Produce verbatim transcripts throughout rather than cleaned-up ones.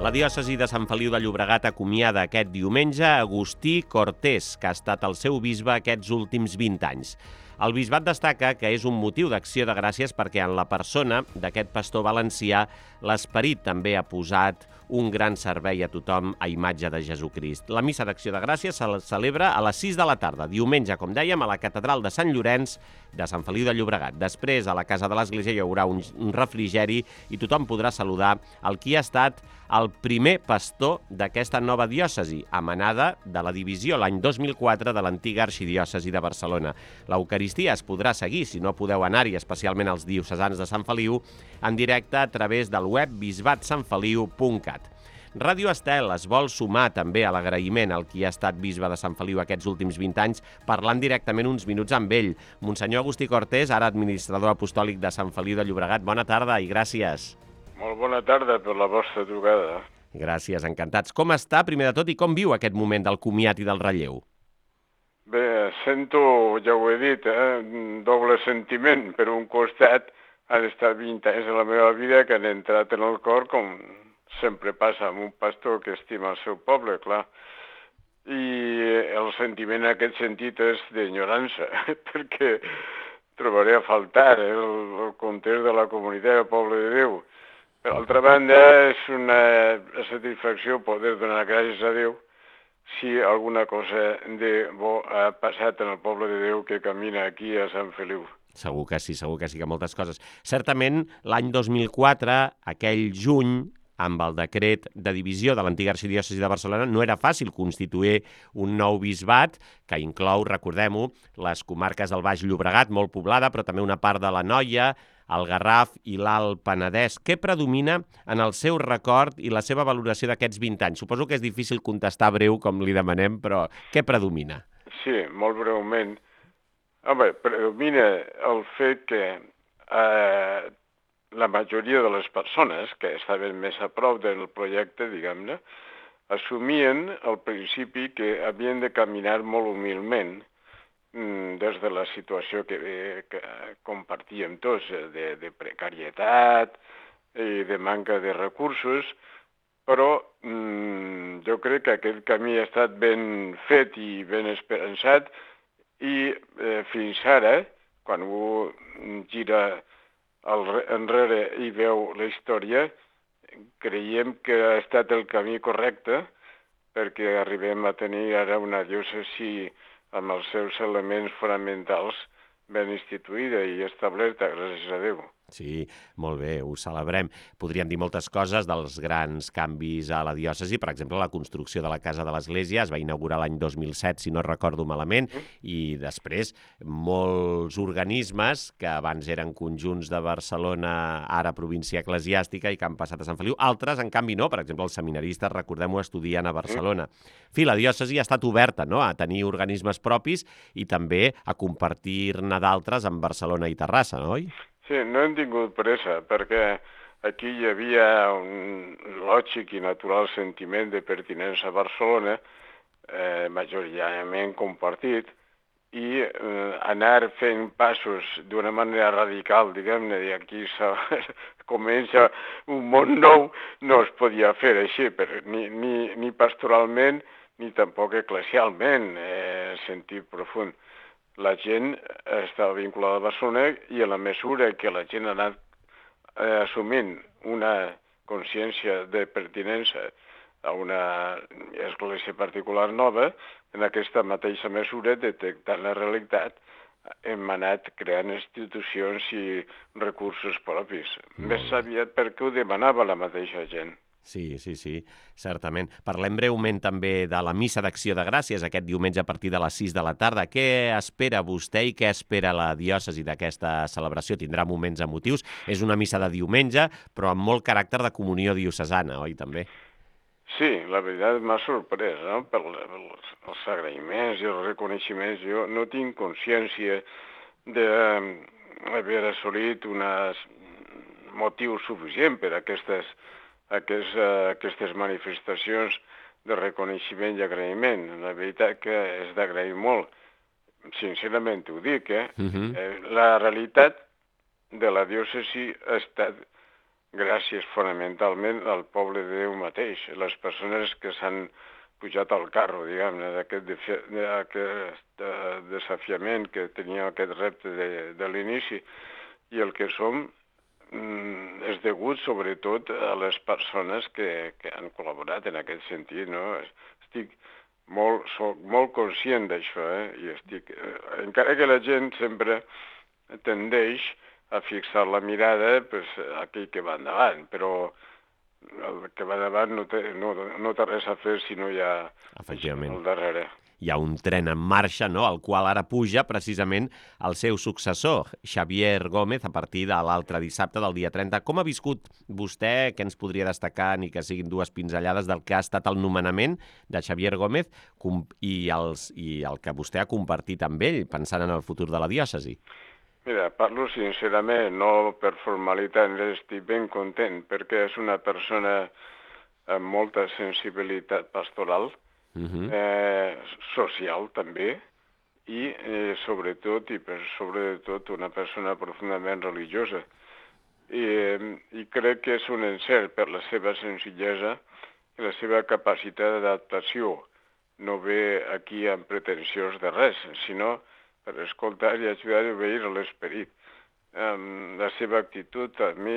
La diòcesi de Sant Feliu de Llobregat acomiada aquest diumenge Agustí Cortés, que ha estat el seu bisbe aquests últims vint anys. El bisbat destaca que és un motiu d'acció de gràcies perquè en la persona d'aquest pastor valencià l'esperit també ha posat un gran servei a tothom a imatge de Jesucrist. La missa d'acció de gràcies se celebra a les sis de la tarda, diumenge, com dèiem, a la catedral de Sant Llorenç de Sant Feliu de Llobregat. Després, a la casa de l'església hi haurà un refrigeri i tothom podrà saludar el qui ha estat el primer pastor d'aquesta nova diòcesi, emanada de la divisió l'any dos mil quatre de l'antiga arxidiòcesi de Barcelona. L'Eucaristia es podrà seguir, si no podeu anar-hi, especialment els diocesans de Sant Feliu, en directe a través del web bisbat sant feliu punt cat. Ràdio Estel es vol sumar també a l'agraïment al qui ha estat bisbe de Sant Feliu aquests últims vint anys, parlant directament uns minuts amb ell. Monsenyor Agustí Cortés, ara administrador apostòlic de Sant Feliu de Llobregat. Bona tarda i gràcies. Molt bona tarda per la vostra trucada. Gràcies, encantats. Com està, primer de tot, i com viu aquest moment del comiat i del relleu? Bé, sento, ja ho he dit, eh, un doble sentiment. Per un costat, han estat vint anys de la meva vida que han entrat en el cor, com sempre passa amb un pastor que estima el seu poble, clar. I el sentiment en aquest sentit és d'enyorança, perquè trobaré a faltar el, el context de la comunitat del poble de Déu. Per altra banda, és una satisfacció poder donar gràcies a Déu si alguna cosa de bo ha passat en el poble de Déu que camina aquí a Sant Feliu. Segur que sí, segur que sí, que moltes coses. Certament, l'any dos mil quatre, aquell juny, amb el decret de divisió de l'antiga arxidiòcesi de Barcelona, no era fàcil constituir un nou bisbat que inclou, recordem-ho, les comarques del Baix Llobregat, molt poblada, però també una part de l'Anoia, el Garraf i l'Alt Penedès. Què predomina en el seu record i la seva valoració d'aquests vint anys? Suposo que és difícil contestar breu, com li demanem, però què predomina? Sí, molt breument. Home, predomina el fet que eh, la majoria de les persones que estaven més a prop del projecte, diguem-ne, assumien al principi que havien de caminar molt humilment des de la situació que, que compartíem tots, de, de precarietat i de manca de recursos, però mm, jo crec que aquest camí ha estat ben fet i ben esperançat i eh, fins ara, quan un gira al, enrere i veu la història, creiem que ha estat el camí correcte perquè arribem a tenir ara una diòcesi amb els seus elements fonamentals ben instituïda i establerta, gràcies a Déu. Sí, molt bé, ho celebrem. Podríem dir moltes coses dels grans canvis a la diòcesi, per exemple, la construcció de la Casa de l'Església es va inaugurar l'any dos mil set, si no recordo malament, i després molts organismes que abans eren conjunts de Barcelona, ara província eclesiàstica, i que han passat a Sant Feliu. Altres, en canvi, no. Per exemple, els seminaristes, recordem-ho, estudien a Barcelona. En fi, la diòcesi ha estat oberta, no?, a tenir organismes propis i també a compartir-ne d'altres amb Barcelona i Terrassa, no, oi? Sí, no hem tingut pressa, perquè aquí hi havia un lògic i natural sentiment de pertinença a Barcelona, eh, majoritàriament compartit, i eh, anar fent passos d'una manera radical, diguem-ne, i aquí comença un món nou, no es podia fer així, però ni, ni, ni pastoralment, ni tampoc eclesialment, eh, en sentit profund. La gent estava vinculada a Barcelona i a la mesura que la gent ha anat eh, assumint una consciència de pertinença a una església particular nova, en aquesta mateixa mesura, detectant la realitat, hem anat creant institucions i recursos propis. Mm. Més aviat perquè ho demanava la mateixa gent. Sí, sí, sí, certament. Parlem breument també de la missa d'acció de gràcies aquest diumenge a partir de les sis de la tarda. Què espera vostè i què espera la diòcesi d'aquesta celebració? Tindrà moments emotius. És una missa de diumenge, però amb molt caràcter de comunió diocesana, oi, també? Sí, la veritat m'ha sorprès, no?, per els agraïments i els reconeixements. Jo no tinc consciència d'haver assolit un motiu suficient per a aquestes Aquest, uh, aquestes manifestacions de reconeixement i agraïment. La veritat que és d'agrair molt. Sincerament ho dic, eh? Uh-huh. eh? La realitat de la diòcesi ha estat gràcies fonamentalment al poble de Déu mateix, les persones que s'han pujat al carro, diguem-ne, d'aquest desafiament que tenia aquest repte de, de l'inici, i el que som mm, és degut sobretot a les persones que, que han col·laborat en aquest sentit, no? Estic molt, soc molt conscient d'això, eh? I estic, eh, encara que la gent sempre tendeix a fixar la mirada pues, a aquell que va endavant, però el que va davant no té, no, no té res a fer si no hi ha Efectivament. al darrere. Hi ha un tren en marxa, no?, al qual ara puja precisament el seu successor, Xavier Gómez, a partir de l'altre dissabte del dia trenta. Com ha viscut vostè, què ens podria destacar, ni que siguin dues pinzellades, del que ha estat el nomenament de Xavier Gómez i, els, i el que vostè ha compartit amb ell, pensant en el futur de la diòcesi? Mira, parlo sincerament, no per formalitat, estic ben content, perquè és una persona amb molta sensibilitat pastoral, uh-huh. eh, social també, i eh, sobretot, i per sobre de tot, una persona profundament religiosa. I, eh, I crec que és un encert per la seva senzillesa i la seva capacitat d'adaptació. No ve aquí amb pretensions de res, sinó per escoltar i ajudar a obeir l'esperit. Um, la seva actitud a mi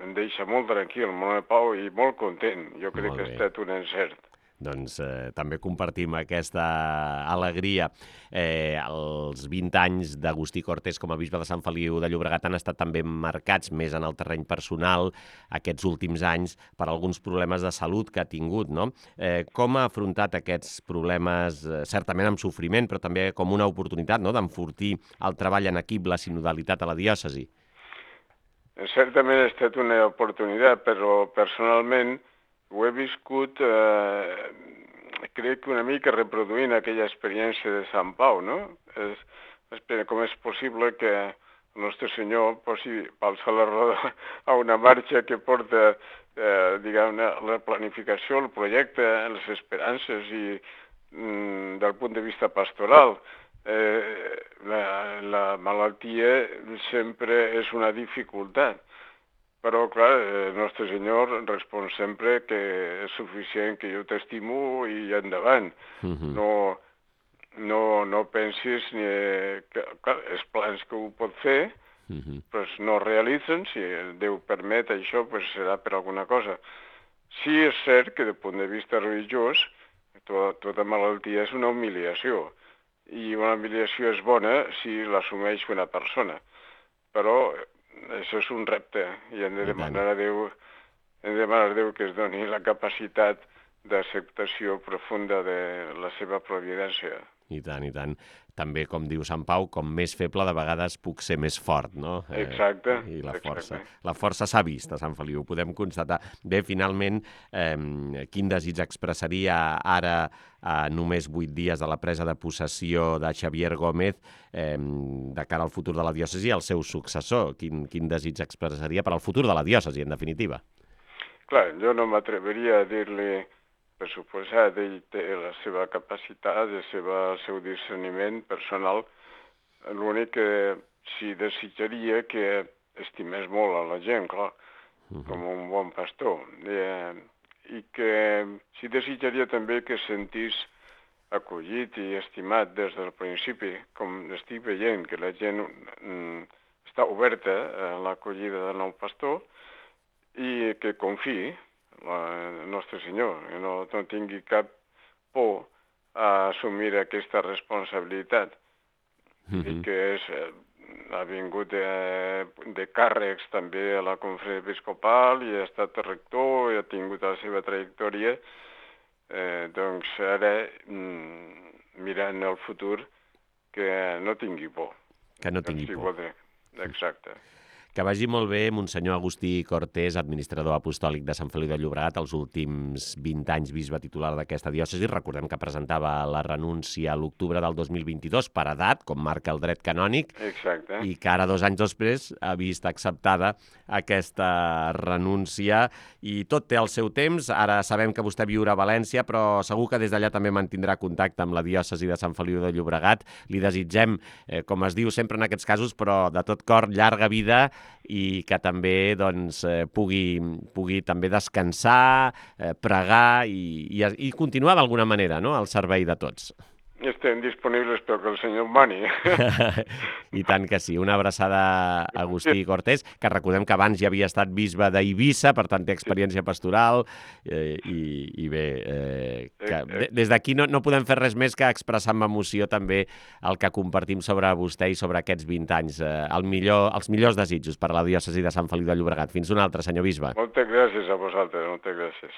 em deixa molt tranquil, molt en pau i molt content. Jo crec que ha estat un encert. Doncs eh, també compartim aquesta alegria. Eh, els vint anys d'Agustí Cortés com a bisbe de Sant Feliu de Llobregat han estat també marcats més en el terreny personal aquests últims anys per alguns problemes de salut que ha tingut, no? Eh, com ha afrontat aquests problemes, eh, certament amb sofriment, però també com una oportunitat, no?, d'enfortir el treball en equip, la sinodalitat a la diòcesi? Certament ha estat una oportunitat, però personalment ho he viscut, eh, crec que una mica reproduint aquella experiència de Sant Pau, no? És, és, com és possible que el nostre Senyor posi pals a la roda a una marxa que porta, eh, diguem-ne, la planificació, el projecte, les esperances i mm, del punt de vista pastoral. Eh, la, la malaltia sempre és una dificultat. Però, clar, el nostre Senyor respon sempre que és suficient que jo t'estimo i endavant. Uh-huh. No, no, no pensis ni que, clar, els plans que ho pot fer, uh-huh. pues no realitzen. Si Déu permet això, pues serà per alguna cosa. Sí és cert que, des punt de vista religiós, to, tota malaltia és una humiliació. I una humiliació és bona si l'assumeix una persona. Però això és un repte i hem de demanar a Déu, hem de demanar a Déu que es doni la capacitat d'acceptació profunda de la seva providència. I tant, i tant. També, com diu Sant Pau, com més feble de vegades puc ser més fort, no? Exacte. Eh, I la força, exacte. la força s'ha vist a Sant Feliu, ho podem constatar. Bé, finalment, eh, quin desig expressaria ara, a només vuit dies de la presa de possessió de Xavier Gómez, eh, de cara al futur de la diòcesi, el seu successor? Quin, quin desig expressaria per al futur de la diòcesi, en definitiva? Clar, jo no m'atreveria a dir-li, per suposat, ell té la seva capacitat, el seva, el seu discerniment personal. L'únic que sí desitjaria que estimés molt a la gent, clar, uh-huh. com un bon pastor. Eh, I que sí desitjaria també que sentís acollit i estimat des del principi, com estic veient que la gent mm, està oberta a l'acollida del nou pastor i que confiï el nostre Senyor, que no, no tingui cap por a assumir aquesta responsabilitat. Mm-hmm. I que és, ha vingut de, de càrrecs també a la conferència episcopal i ha estat rector i ha tingut la seva trajectòria. Eh, doncs ara, mm, mirant el futur, que no tingui por. Que no tingui por. Exacte. Que vagi molt bé, Monsenyor Agustí Cortés, administrador apostòlic de Sant Feliu de Llobregat, els últims vint anys bisbe titular d'aquesta diòcesi. Recordem que presentava la renúncia a l'octubre del dos mil vint-i-dos per edat, com marca el dret canònic. Exacte. I que ara, dos anys després, ha vist acceptada aquesta renúncia i tot té el seu temps. Ara sabem que vostè viurà a València, però segur que des d'allà també mantindrà contacte amb la diòcesi de Sant Feliu de Llobregat. Li desitgem, eh, com es diu sempre en aquests casos, però de tot cor, llarga vida i que també doncs, eh, pugui, pugui també descansar, eh, pregar i, i, i continuar d'alguna manera, no?, al servei de tots. Estem disponibles pel que el senyor mani. I tant que sí. Una abraçada a Agustí Cortés, que recordem que abans ja havia estat bisbe d'Eivissa, per tant té experiència pastoral, eh, i, i bé, eh, que de, des d'aquí no, no podem fer res més que expressar amb emoció també el que compartim sobre vostè i sobre aquests vint anys. Eh, el millor, els millors desitjos per a la diòcesi de Sant Feliu de Llobregat. Fins una altra, senyor bisbe. Moltes gràcies a vosaltres, moltes gràcies.